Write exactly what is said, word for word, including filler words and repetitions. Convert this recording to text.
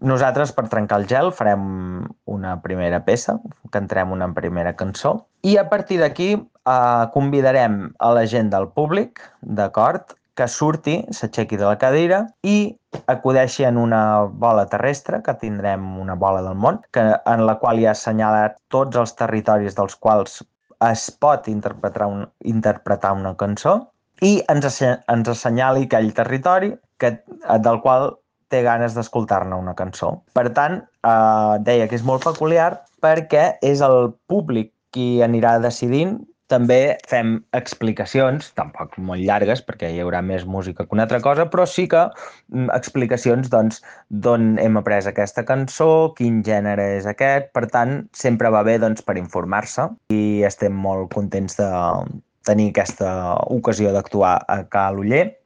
Nosaltres, per trencar el gel, farem una primera peça, cantarem una primera cançó, i a partir d'aquí eh, convidarem a la gent del públic, d'acord, que surti, s'aixequi de la cadira i acudeixi en una bola terrestre, que tindrem una bola del món, que, en la qual hi ha assenyalat tots els territoris dels quals es pot interpretar, un, interpretar una cançó, i ens, ens assenyali aquell territori que, del qual té ganes d'escoltar-ne una cançó. Per tant, eh, deia que és molt peculiar perquè és el públic qui anirà decidint. També fem explicacions, tampoc molt llargues, perquè hi haurà més música que una altra cosa, però sí que mm, explicacions doncs, d'on hem après aquesta cançó, quin gènere és aquest. Per tant, sempre va bé doncs, per informar-se i estem molt contents de tenir aquesta ocasió d'actuar a Cal Oller.